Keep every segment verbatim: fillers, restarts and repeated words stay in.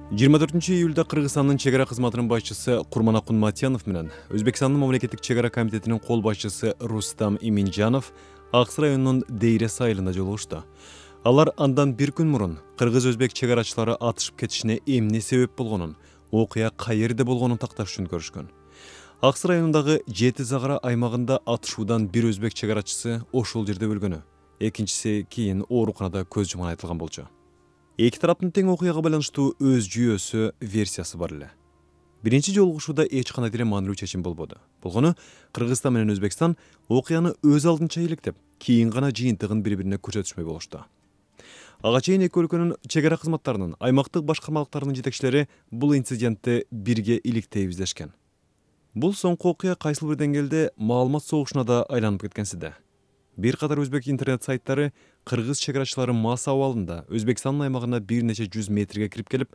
жыйырма төртүнчү июлда Кыргызстандын чек ара кызматынын башчысы Курманакун Матянов менен Өзбекстандын мамлекеттик чек ара комитетинин кол башчысы Рустам Иминжанов Ак Сай районунун Дейрес айылында жолугушту. Алар андан бир күн мурун кыргыз-өзбек чек арачылары атышып кетишине эмне себеп болгонун, окуя каерде болгонун такташ үчүн көрүшкөн. Ак Сай районундагы Жети Загара аймагында атышуудан бир өзбек чек арачысы ошол жерде өлгөнү, экинчиси кийин ооруканада көз жумганы айтылган болчу. Эки тараптын тең окуяга байланыштуу өз жүйөсү, версиясы бар эле. Биринчи жолугушууда эч кандай деле маанилүү чечим болбоду. Болгону Кыргызстан менен Өзбекстан окуяны өз алдынча иликтеп, кийин гана жыйынтыгын бири-бирине көрсөтүшмөй болушту. Ага чейин эки өлкөнүн чек ара кызматтарынын аймактык башкармалыктарынын жетекчилери бул инцидентти бирге иликтей издешкен. Бул соңку окуя кайсыл бир деңгээлде маалымат согушуна да айланып кеткенсиде. Бир катар өзбек интернет сайттары кыргыз чек арачылары мас абалында Өзбекстандын аймагына бир нече жүз метрге кирип келип,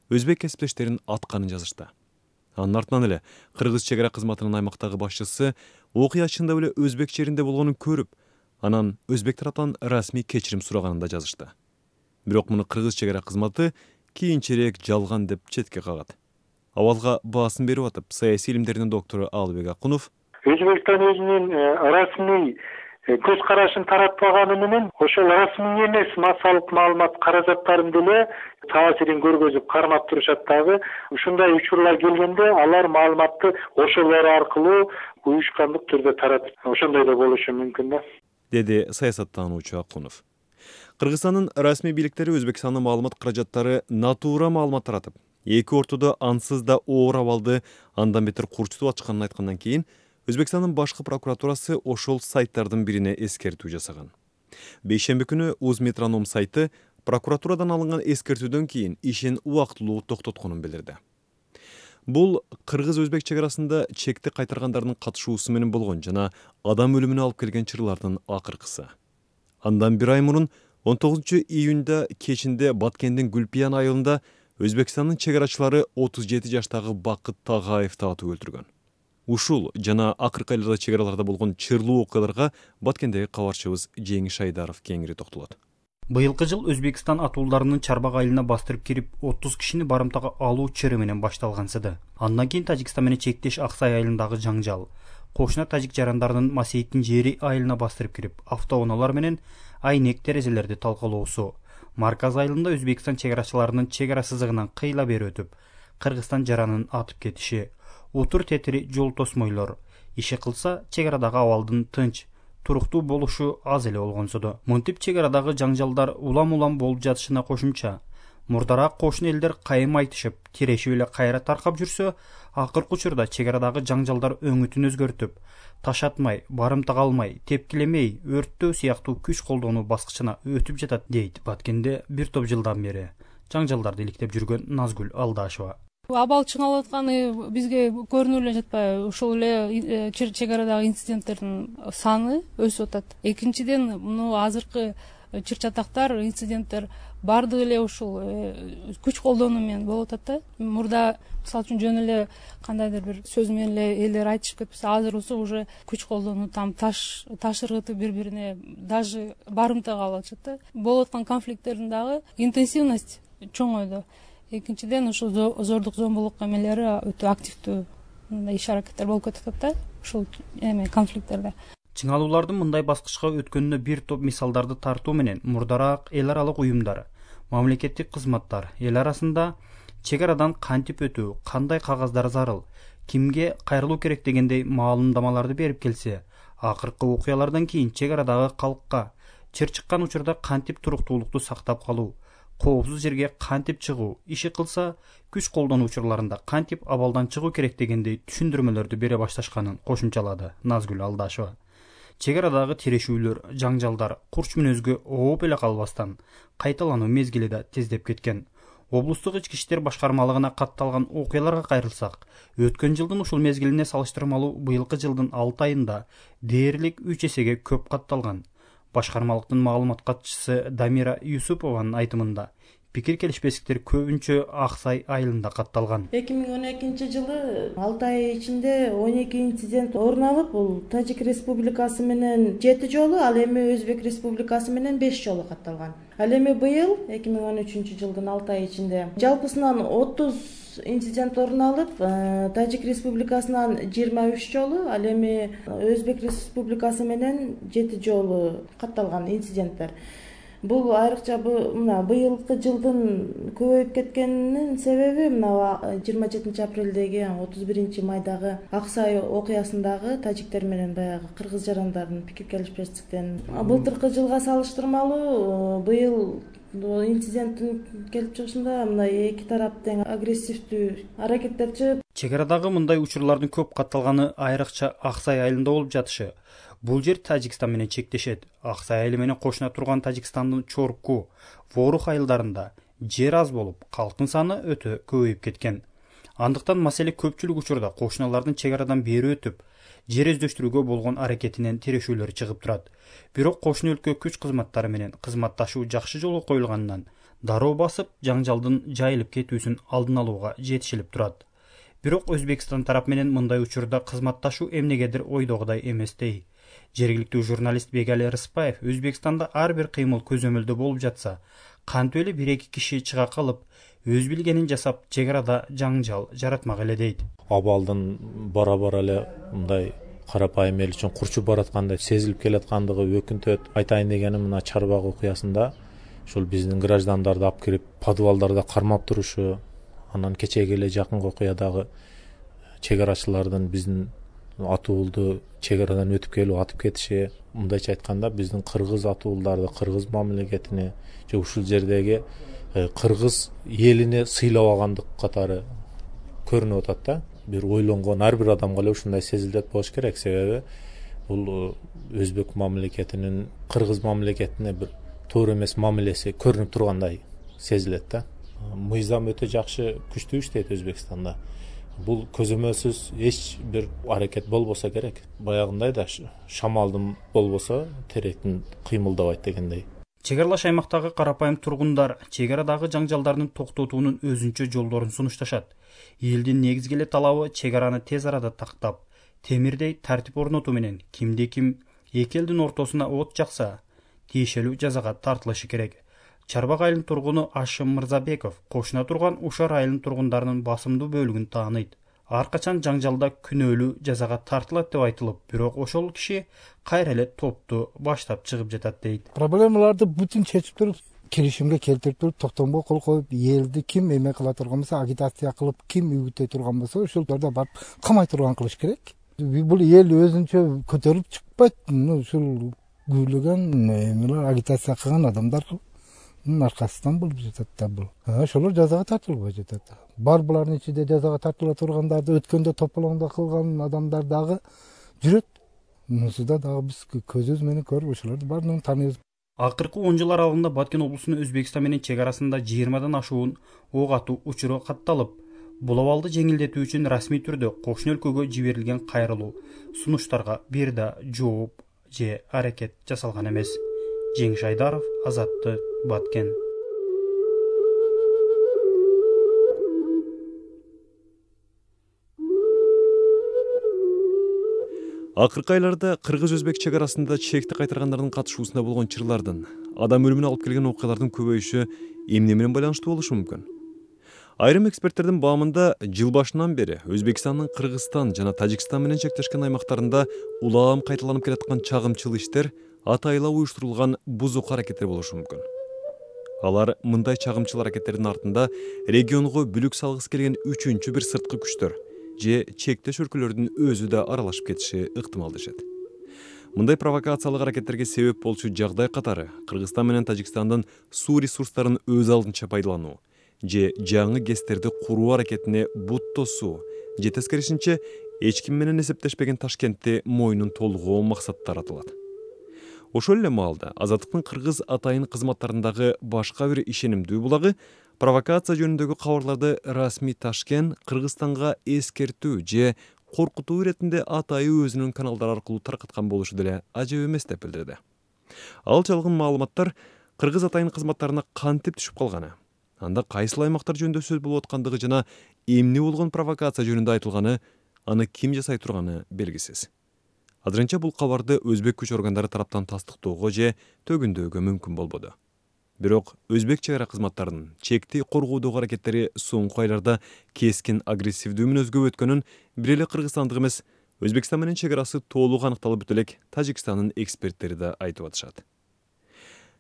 өзбек кесиптештерин атканын жазышты. Анын артынан эле кыргыз чек ара кызматынын аймактагы башчысы окуя чындап эле өзбек жеринде болгонун көрүп, анан өзбек тараптан расмий кечирим сураганын да жазышты. Бирок муну кыргыз чек ара кызматы кийинчерээк жалган деп четке кагат. Абалга баасын берип атып, саясий илимдердин доктору Алыбек Акунов Өзбекстан өзүнүн расмий көз карашын таратпаганы менен ошол расмий эмес массалык маалымат каражаттарын деле таасирин көргөзүп кармап турушат дагы. Ушундай учурлар келгенде алар маалыматты ошолор аркылуу уюшкандык түрдө таратып, ошондой да болушу мүмкүн да, деди саясаттануучу Акунов. Кыргызстандын расмий бийликтери Өзбекстандын маалымат каражаттары натуура маалымат таратып, эки ортодо ансыз да оор абалды андан бетер курчутуп ачканын айткандан кийин Өзбекстандын башкы прокуратурасы ошол сайттардын бирине эскертүү жасаган. Бейшемби күнү Узметроном сайты прокуратурадан алынган эскертүүдөн кийин ишин убактылуу токтотконун билдирди. Бул кыргыз-өзбек чек арасында чекти кайтаргандардын катышуусу менен болгон жана адам өлүмүнө алып келген чырлардын акыркысы. Андан бир ай мурун он тогузунчу июнда кечинде Баткендин Гүлпиян айылында Өзбекстандын чек арачылары отуз жети жаштагы Бакыт Тагаевди атып өлтүргөн. Ушул жана акыркы айларда чек араларда болгон чырлуу окуяларга Баткендеги кабарчыбыз Жеңиш Айдаров кеңири токтолот. Быйылкы жыл Өзбекстан атууларынын Чарбак айылына бастырып кирип, отуз кишини барымтага алуу чыры менен башталгансыды. Андан кийин Тажикстан менен чектеш Ак Сай айылындагы жаңжал, кошуна тажик жарандарынын Масейиттин жери айылына бастырып кирип, автоунаалар менен айнек терезелерди талкалоосу, Марказ айылында Өзбекстан чек арачыларынын чек ара сызыгынан кыйла бери өтүп, Кыргызстан жаранын атып кетиши, утур тетири жол тосмойлор, иши кылса чек арадагы абалдын тынч, туруктуу болушу аз эле болгонсуду. Монтип чек арадагы жаңжалдар улам-улам болуп жатышына кошумча, мурдараак кошуна элдер кайым айтышып, тирешип эле кайра таркап жүрсө, акыркы учурда чек арадагы жаңжалдар өңүтүн өзгөртүп, таш атмай, барымтага алмай, тепкилемей, өрттөө сыяктуу күч колдонуу баскычына өтүп жатат, дейт Баткенде бир топ жылдан бери жаңжалдарды иликтеп жүргөн Назгүл Алдашева. Абал чыңалып атканы бизге көрүнүп эле жатпайбы? Ошол эле чек арадагы инциденттердин саны өсүп атат. Экинчиден, муну азыркы чыр чатактар, инциденттер бардыгы эле ушул күч колдонуу менен болуп атат да. Мурда мисалы үчүн жөн эле кандайдыр бир сөз менен эле элдер айтышып кетпесе, азыр болсо уже күч колдонуу, там таш таш ыргытып бири-бирине даже барымтага алып атышат да. Болуп аткан конфликттердин дагы интенсивность чоңойду. Экинчиден, ушул зордук зомбулук эмелери өтө активдүү иш аракеттер болуп кетип атат да, ушул эме конфликттерде. Чыңалуулардын мындай баскычка өткөнүнө бир топ мисалдарды тартуу менен мурдараак эл аралык уюмдар, мамлекеттик кызматтар эл арасында чек арадан кантип өтүү, кандай кагаздар зарыл, кимге кайрылуу керек дегендей маалымдамаларды берип келсе, акыркы окуялардан кийин чек арадагы калкка чыр чыккан учурда кантип туруктуулукту сактап калуу, коопсуз жерге кантип чыгуу, иши кылса күч колдонуу учурларында кантип абалдан чыгуу керек дегендей түшүндүрмөлөрдү бере башташканын кошумчалады Назгүл Алдашева. Чек арадагы тирешүүлөр, жаңжалдар курч мүнөзгө ооп эле калбастан кайталануу мезгили да тездеп кеткен. Облустук ички иштер башкармалыгына катталган окуяларга кайрылсак, өткөн жылдын ушул мезгилине салыштырмалуу быйылкы жылдын алты айында дээрлик үч эсеге көп катталган. Башкармалыктын маалымат катчысы Дамира Юсупованын айтымында, Пикир келишпестиктер көбүнчө Аксай айылында катталган. эки миң он экинчи жылы алты ай ичинде он эки инцидент орун алып, бул Тажик Республикасы менен жети жолу, ал эми Өзбек Республикасы менен беш жолу катталган. Ал эми быйыл эки миң он үчүнчү жылдын алты ай ичинде жалпысынан отуз инцидент орун алып, Тажик Республикасынан жыйырма үч жолу, ал эми Өзбек Республикасы менен жети жолу катталган инциденттер. Бул айрыкча мына быйылкы жылдын көбөйүп кеткенинин себеби мына жыйырма жетинчи апрелдеги отуз биринчи майдагы Аксай окуясындагы тажиктер менен баягы кыргыз жарандардын пикир келишпестиктен. Былтыркы жылга салыштырмалуу быйыл инциденттин келип чыгышында мына эки тарап тең агрессивдүү аракеттер чыгып. Чек арадагы мындай учурлардын көп катталганы айрыкча Аксай айылында болуп жатышы. Бул жер Тажикстан менен чектешет. Аксай айылы менен кошуна турган Тажикстандын Чорку, Ворух айылдарында жер аз болуп, калктын саны өтө көбөйүп кеткен. Андыктан маселе көпчүлүк учурда кошуналардын чек арадан бери өтүп, жер өздөштүрүүгө болгон аракетинен тирешүүлөр чыгып турат. Бирок кошуна өлкө күч кызматтары менен кызматташуу жакшы жолго коюлганынан дароо басып, жаңжалдын жайылып кетүүсүн алдын алууга жетишилип турат. Бирок Өзбекстан тарап менен мындай учурда кызматташуу эмнегедир ойдогудай эместей. Жергиликтүү журналист Бегали Рыспаев Өзбекстанда ар бир кыймыл көзөмөлдө болуп жатса, кантип эле бир эки киши чыга калып, өз билгенин жасап, чек арада жаңжал жаратмак эле дейт. Абалдын бара-бара эле мындай карапайым эл үчүн курчуп бараткандай сезилип келаткандыгы өкүнтөт. Айтайын дегеним мына Чарбак окуясында ушул биздин граждандарды алып кирип подвалдарда кармап турушу, анан кечеги эле жакынкы окуядагы чек арачылардын биздин атуулду чек арадан өтүп келип атып кетиши, мындайча айтканда биздин кыргыз атуулдарды, кыргыз мамлекетини же ушул жердеги кыргыз элине сыйлабагандык катары көрүнүп атат да. Бир ойлонгон ар бир адамга эле ушундай сезилет болуш керек, себеби бул өзбек мамлекетинин кыргыз мамлекетине бир туура эмес мамилеси көрүнүп тургандай сезилет да. Мыйзам өтө жакшы күчтүү иштейт Өзбекстанда. Бул көзөмөлсүз эч бир аракет болбосо керек. Баягындай да шамалдын болбосо теректин кыймылдабайт дегендей. Чек аралаш аймактагы карапайым тургундар чек арадагы жаңжалдардын токтотуунун өзүнчө жолдорун сунушташат. Элдин негизги эле талабы чек араны тез арада тактап, темирдей тартип орнотуу менен кимде ким эки элдин ортосуна от жакса, тиешелүү жазага тартылышы керек. Чарбак айылынын тургуну Ашым Мырзабеков кошуна турган Ушар айылынын тургундарынын басымдуу бөлүгүн тааныйт. Ар качан жаңжалда күнөөлүү жазага тартылат деп айтылып, бирок ошол киши кайра эле топту баштап чыгып жатат дейт. Проблемаларды бүтүн чечип туруп, келишимге келтирип туруп, токтомго кол коюп, элди ким эме кыла турган болсо, агитация кылып, ким үгүттөй турган болсо, ошолорду барып камай турган кылыш керек. Бул эл өзүнчө көтөрүп чыкпайт, ушул күйлөгөн эмелер агитация кылган адамдар аркасынан болуп жатат да бул. Ошолор жазага тартылбай жатат. Бар булардын ичинде жазага тартыла тургандарды өткөндө тополоңдо кылган адамдар дагы жүрөт. Мусуда дагы биз көзүбүз менен көрүп ошолорду баарын тааныйбыз. Акыркы он жыл аралыгында Баткен облусунун Өзбекстан менен чек арасында жыйырмадан ашуун ок атуу учуру катталып, бул абалды жеңилдетүү үчүн расмий түрдө кошуна өлкөгө жиберилген кайрылуу сунуштарга бир да жооп же аракет жасалган эмес. Жеңиш Айдаров, Азаттык, Баткен. Акыркы айларда кыргыз-өзбек чек арасында чекти кайтаргандардын катышуусунда болгон чырлардын, адам өлүмүнө алып келген окуялардын көбөйүшү эмне менен байланыштуу болушу мүмкүн? Айрым эксперттердин баамында жыл башынан бери Өзбекстандын Кыргызстан жана Тажикстан менен чектешкен аймактарында улам кайталанып келаткан чагымчыл иштер атайла уюштурулган бузук аракеттер болушу мүмкүн. Алар мындай чагымчыл аракеттердин артында регионго бүлүк салгысы келген үчүнчү бир сырткы күчтөр же чектеш өлкөлөрдүн өзү да аралашып кетиши ыктымал дешет. Мындай провокациялык аракеттерге себеп болчу жагдай катары Кыргызстан менен Тажикстандын суу ресурстарын өз алдынча пайдалануу же жаңы гэстерди куруу аракетине бут тосуу же тескерисинче эч ким менен эсептешпеген Ташкентти мойнун толгоо максаттар атылат. Ошол эле маалда Азаттыктын кыргыз атайын кызматтарындагы башка бир ишенимдүү булагы провокация жөнүндөгү кабарларды расмий Ташкент Кыргызстанга эскертүү же коркутуу иретинде атайы өзүнүн каналдары аркылуу таркаткан болушу деле ажып эмес деп билдирди. Ал чалгын маалыматтар кыргыз атайын кызматтарына кантип түшүп калганы, Анда кайсыл аймактар жөнүндө сөз болуп аткандыгы жана эмне болгон провокация жөнүндө айтылганы, аны ким жасай турганы белгисиз. Азырынча бул кабарды өзбек күч органдары тараптан тастыктоого же төгүндөөгө мүмкүн болбоду. Бирок өзбек чегара кызматтарынын чекти коргоодогу аракеттери соңку айларда кескин агрессивдүү мүнөзгө өткөнүн бир эле кыргызстандык эмес, Өзбекстан менен чегарасы толук аныкталып бүтө элек Тажикстандын эксперттери да айтып атышат.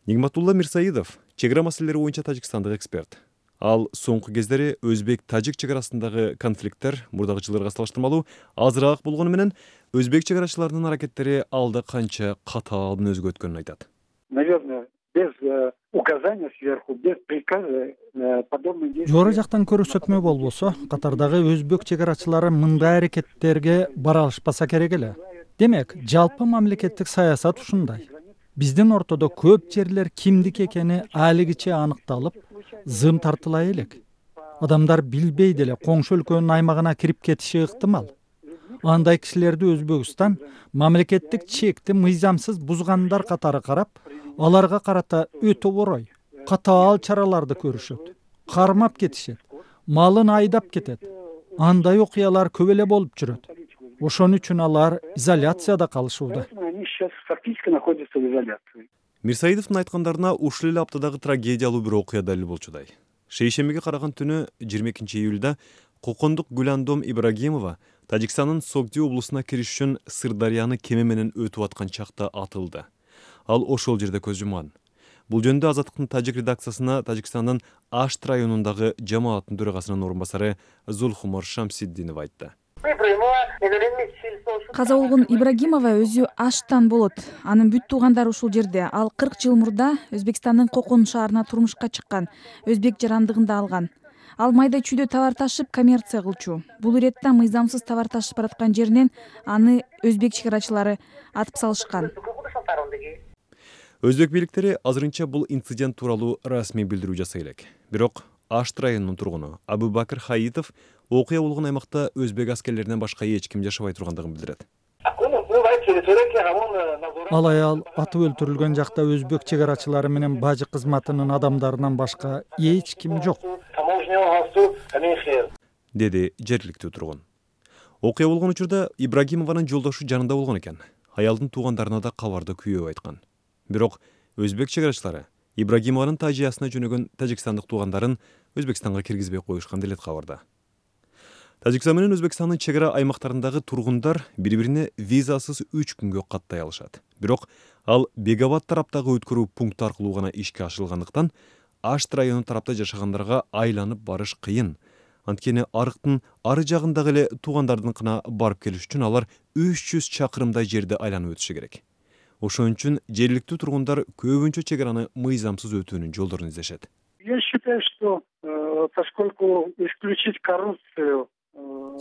Нигматулла Мирсаидов чегара маселелери боюнча тажикстандык эксперт. Ал соңку кездери өзбек-тажик чегарасындагы конфликттер мурдагы жылдарга салыштырмалуу азыраак болгону менен өзбек чегарачыларынын аракеттери алда канча катаал мүнөзгө өткөнүн айтат. Наверное, без указания сверху, без приказа подобные действия. Жора жактан көрсөтмө болбосо, катардагы өзбек чегарачылары мындай аракеттерге бара алышпаса керек эле. Демек, жалпы мамлекеттик саясат ушундай. Биздин ортодо көп жерлер кимдики экени алигиче аныкталып, зым тартыла элек. Адамдар билбей деле коңшу өлкөнүн аймагына кирип кетиши ыктымал. Андай кишилерди Өзбекстан мамлекеттик чекти мыйзамсыз бузгандар катары карап, аларга карата өтө орой, катаал чараларды көрүшөт, кармап кетишет, малын айдап кетет. Андай окуялар көп эле болуп жүрөт. Ошон үчүн алар изоляцияда калышууда. Мирсаидовдун айткандарына ушул эле аптадагы трагедиялуу бир окуя далил болчудай. Шейшембиге караган түнү жыйырма экинчи июлда Кокондук Гүландом Ибрагимова Тажикстандын Согди облусуна кириш үчүн Сырдарыяны кеме менен өтүп аткан чакта атылды. Ал ошол жерде көз жумган. Бул жөнүндө Азаттыктын тажик редакциясына Тажикстандын Ашт районундагы жамааттын төрагасынын орун басары Зулхумар Шамсиддинов айтты. Каза болгон Ибрагимова өзү Ашттан болот. Анын бүт туугандары ушул жерде. Ал кырк жыл мурда Өзбекстандын Кокон шаарына турмушка чыккан, өзбек жарандыгында алган. Ал майда чүйдө товар ташып коммерция кылчу. Бул иретте мыйзамсыз товар ташып бараткан жеринен аны өзбек чегарачылары атып салышкан. Өзбек бийликтери азырынча бул инцидент тууралуу расмий билдирүү жасай элек. Бирок Ашт районунун тургуну Абубакыр Хаитов окуя болгон аймакта өзбек аскерлеринен башка эч ким жашабай тургандыгын билдирет. Ал аял атып өлтүрүлгөн жакта өзбек чегарачылары менен бажы кызматынын адамдарынан башка эч ким жок, деди жергиликтүү тургун. Окуя болгон учурда Ибрагимованын жолдошу жанында болгон экен. Аялдын туугандарына да кабарды күйөө айткан. Бирок өзбек чегарачылары Ибрагимованын Тажиясына жөнөгөн тажикстандык туугандарын Өзбекстанга киргизбей коюшкан делет кабарда. Тажикстан менен Өзбекстандын чегара аймактарындагы тургундар бири-бирине визасыз үч күнгө каттай алышат. Бирок ал Бегабад тараптагы өткөрүү пункт аркылуу гана ишке ашырылгандыктан Ашт району тарапта жашагандарга айланып барыш кыйын. Анткени арыктын ары жагындагы эле туугандардыкына барып келиш үчүн алар үч жүз чакырымдай жерди айланып өтүшү керек. Ошон үчүн жергиликтүү тургундар көбүнчө чегараны мыйзамсыз өтүүнүн жолдорун издешет. Я считаю, что поскольку исключить коррупцию.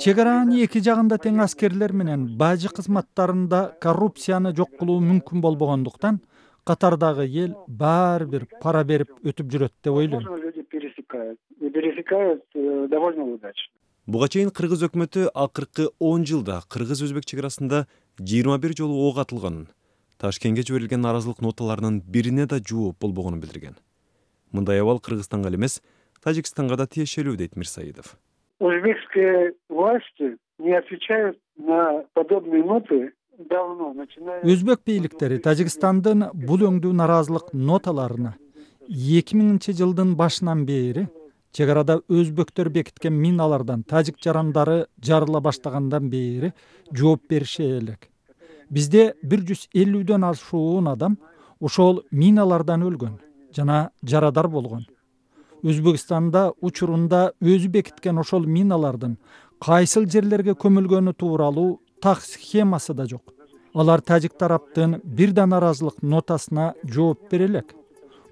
Чегаранын эки жагында тең аскерлер менен бажы кызматтарында коррупцияны жок кылуу мүмкүн болбогондуктан катардагы эл баары бир пара берип өтүп жүрөт деп ойлойм. Буга чейин кыргыз өкмөтү акыркы он жылда кыргыз-өзбек чегарасында жыйырма бир жолу ок атылганын, Ташкентке жиберилген наразылык ноталарынын бирине да жооп болбогонун билдирген. Мындай абал Кыргызстанга эле эмес, Тажикстанга да тиешелүү дейт Мирсаидов. Узбекские власти не отвечают на подобные ноты давно, начиная. Өзбек бийликтери Тажикстандын бул өңдүү наразылык ноталарына эки миңинчи жылдын башынан бери чегарада өзбектөр бекиткен миналардан тажик жарандары жарыла баштагандан бери жооп бериши элек. Бизде бир жүз элүүдөн ашуун адам ошол миналардан өлгөн жана жарадар болгон. Өзбекстанда учурунда өзү бекиткен ошол миналардын кайсыл жерлерге көмүлгөнү тууралуу так схемасы да жок. Алар тажик тараптын бир да наразылык нотасына жооп бере элек.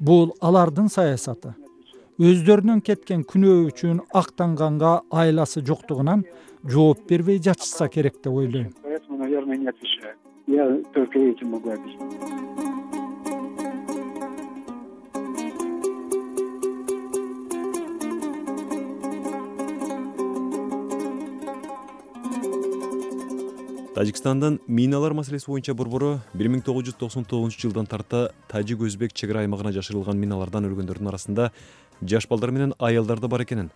Бул алардын саясаты. Өздөрүнөн кеткен күнөө үчүн актанганга айласы жоктугунан жооп бербей жатышса керек деп ойлойм. Поэтому, наверное, не отвечаю. Я только этим могу объяснить. Тажикстандын миналар маселеси боюнча борбору бир миң тогуз жүз токсон тогузунчу жылдан тарта тажик-өзбек чегара аймагына жашырылган миналардан өлгөндөрдүн арасында жаш балдар менен аялдар да бар экенин,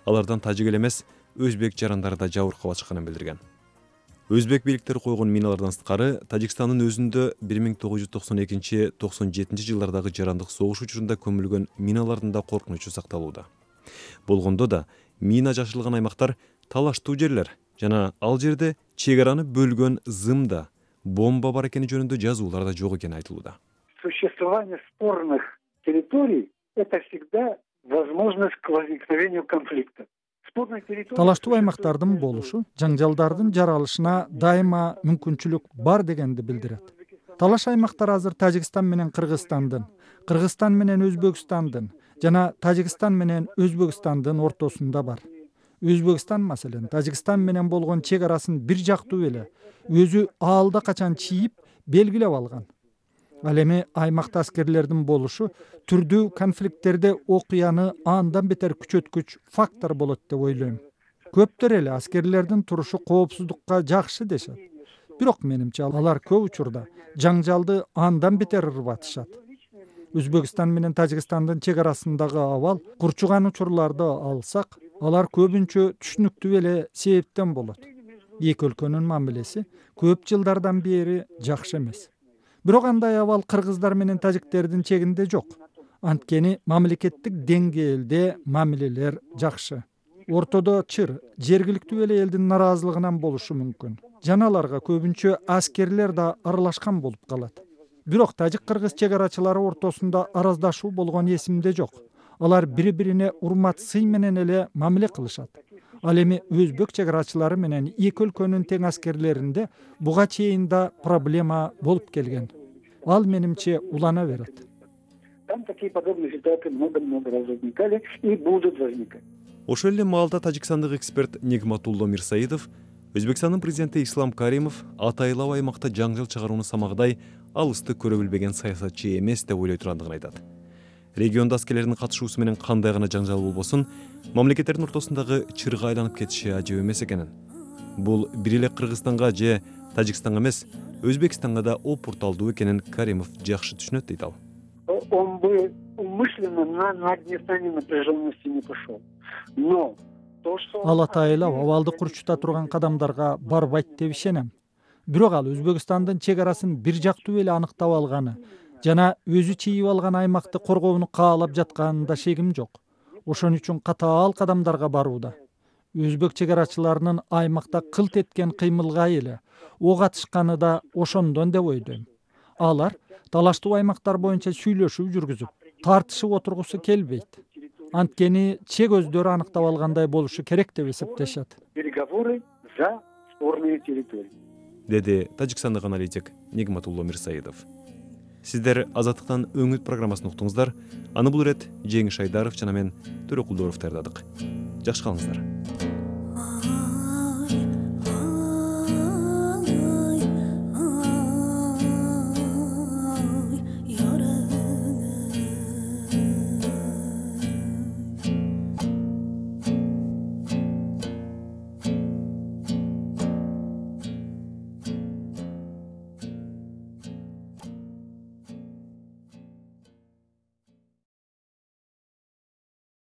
алардан тажик эле эмес өзбек жарандары да жабыркап чыкканын билдирген. Өзбек бийликтери койгон миналардан сырткары Тажикстандын өзүндө бир миң тогуз жүз токсон экинчи — токсон жетинчи жылдардагы жарандык согуш учурунда көмүлгөн миналардын да коркунучу сакталууда. Болгондо да мина жашырылган аймактар талаштуу жерлер жана ал жерде чек араны бөлгөн зымда бомба бар экени жөнүндө жазуулар да жок экени айтылууда. Существование спорных территорий — это всегда возможность к возникновению конфликта. Талаштуу аймактардын болушу жаңжалдардын жаралышына дайыма мүмкүнчүлүк бар дегенди билдирет. Талаш аймактар азыр Тажикстан менен Кыргызстандын, Кыргызстан менен Өзбекстандын жана Тажикстан менен Өзбекстандын ортосунда бар. Өзбекстан маселен Тажикстан менен болгон чек арасын бир жактуу эле өзү аалда качан чийип белгилеп алган. Ал эми аймакта аскерлердин болушу түрдүү конфликттерде окуяны андан бетер күчөткүч фактор болот деп ойлойм. Көптөр эле аскерлердин турушу коопсуздукка жакшы дешет. Бирок менимче алар көп учурда жаңжалды андан бетер ырбатышат. Өзбекстан менен Тажикстандын чек арасындагы абал курчуган учурларды алсак, алар көбүнчө түшүнүктүү эле себептен болот. Эки өлкөнүн мамилеси көп жылдардан бери жакшы эмес. Бирок андай абал кыргыздар менен тажиктердин чегинде жок. Анткени мамлекеттик деңгээлде мамилелер жакшы. Ортодо чыр, жергиликтүү эле элдин нараазылыгынан болушу мүмкүн. Жана аларга көбүнчө аскерлер да аралашкан болуп калат. Бирок тажик-кыргыз чек арачылары ортосунда араздашуу болгон эсимде жок. Алар бири-бирине урмат сый менен эле мамиле кылышат. Ал эми өзбек чек арачылары менен эки өлкөнүн тең аскерлеринде буга чейин да проблема болуп келген. Ал менимче улана берет. Там такие подобные ситуации много-много раз возникали и будут возникать. Ошол эле маалда тажикстандык эксперт Нигматулло Мирсаидов, Өзбекстандын президенти Ислам Каримов атайлап аймакта жаңжал чыгарууну самагдай алысты көрө билбеген саясатчы эмес деп ойлой тургандыгын айтат. Региондо аскерлердин катышуусу менен кандай гана жаңжал болбосун, мамлекеттердин ортосундагы чырга айланып кетиши ажып эмес экенин. Бул бир эле Кыргызстанга же Тажикстанга эмес, Өзбекстанга да опурталдуу экенин Каримов жакшы түшүнөт дейт ал. Он бы умышленно на нагнетание напряженности не пошел. Но ал атайылап абалды курчута турган кадамдарга барбайт деп ишенем. Бирок ал Өзбекстандын чек арасын бир жактуу эле аныктап алганы жана өзү чийип алган аймакты коргоону каалап жатканында шегим жок. Ошон үчүн катаал кадамдарга барууда. Өзбек чек арачыларынын аймакта кылт эткен кыймылга эле ок атышканы да ошондон деп ойлойм. Алар талаштуу аймактар боюнча сүйлөшүү жүргүзүп, тартышып отургусу келбейт. Анткени чек өздөрү аныктап алгандай болушу керек деп эсептешет. Переговоры за спорные территории. Деди тажикстандык аналитик Нигматулло Мирсаидов. Сиздер Азаттыктан өңүт программасын уктуңуздар. Аны бул ирет Жеңиш Айдаров жана мен Төрөкулдоров даярдадык. Жакшы калыңыздар.